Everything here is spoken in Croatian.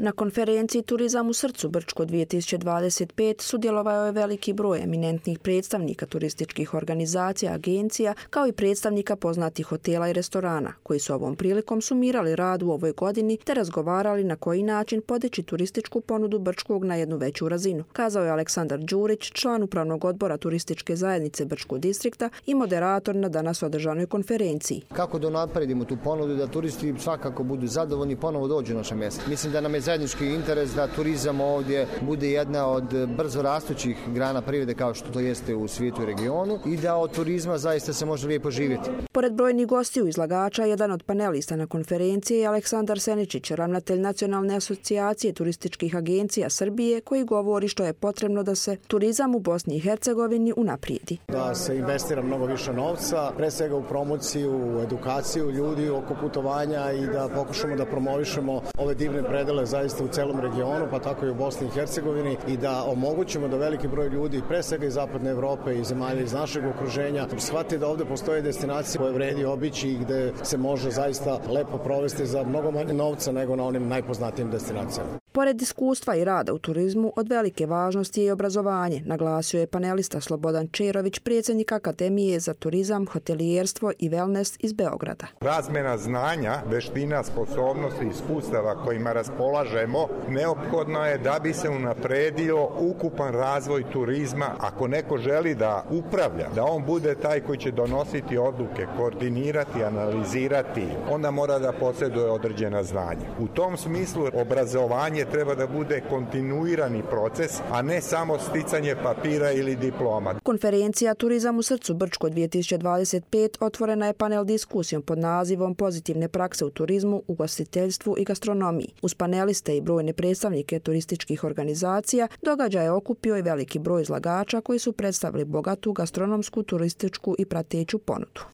Na konferenciji Turizam u srcu Brčko 2025 sudjelovao je veliki broj eminentnih predstavnika turističkih organizacija, agencija, kao i predstavnika poznatih hotela i restorana, koji su ovom prilikom sumirali rad u ovoj godini te razgovarali na koji način podići turističku ponudu Brčkog na jednu veću razinu, kazao je Aleksandar Đurić, član upravnog odbora turističke zajednice Brčkog distrikta i moderator na danas održanoj konferenciji. Kako da napredimo tu ponudu da turisti svakako budu zadovoljni i ponovo dođu na naše mjesto. Mislim da nam je zajednički interes da turizam ovdje bude jedna od brzo rastućih grana privrede kao što to jeste u svijetu i regionu i da od turizma zaista se može lijepo živjeti. Pored brojnih gostiju izlagača, jedan od panelista na konferenciji je Aleksandar Seničić, ravnatelj Nacionalne asocijacije turističkih agencija Srbije, koji govori što je potrebno da se turizam u Bosni i Hercegovini unaprijedi. Da se investira mnogo više novca, pre svega u promociju, u edukaciju ljudi oko putovanja i da pokušamo da promovišemo ove divne predele zaista u celom regionu, pa tako i u Bosni i Hercegovini i da omogućimo da veliki broj ljudi, pre svega iz zapadne Evrope i zemalja iz našeg okruženja, shvati da ovdje postoje destinacije koje vredi obići i gde se može zaista lepo provesti za mnogo manje novca nego na onim najpoznatijim destinacijama. Pored iskustva i rada u turizmu, od velike važnosti je i obrazovanje, naglasio je panelista Slobodan Čerović, predsjednik Akademije za turizam, hotelijerstvo i wellness iz Beograda. Razmjena znanja, veština, sposobnosti i iskustava kojima raspolažemo neophodno je da bi se unapredio ukupan razvoj turizma. Ako neko želi da upravlja, da on bude taj koji će donositi odluke, koordinirati, analizirati, onda mora da posjeduje određena znanja. U tom smislu obrazovanje treba da bude kontinuirani proces, a ne samo sticanje papira ili diploma. Konferencija Turizam u srcu Brčko 2025 otvorena je panel diskusijom pod nazivom Pozitivne prakse u turizmu, ugostiteljstvu i gastronomiji. Uz paneliste i brojne predstavnike turističkih organizacija, događaj je okupio i veliki broj izlagača koji su predstavili bogatu gastronomsku, turističku i prateću ponudu.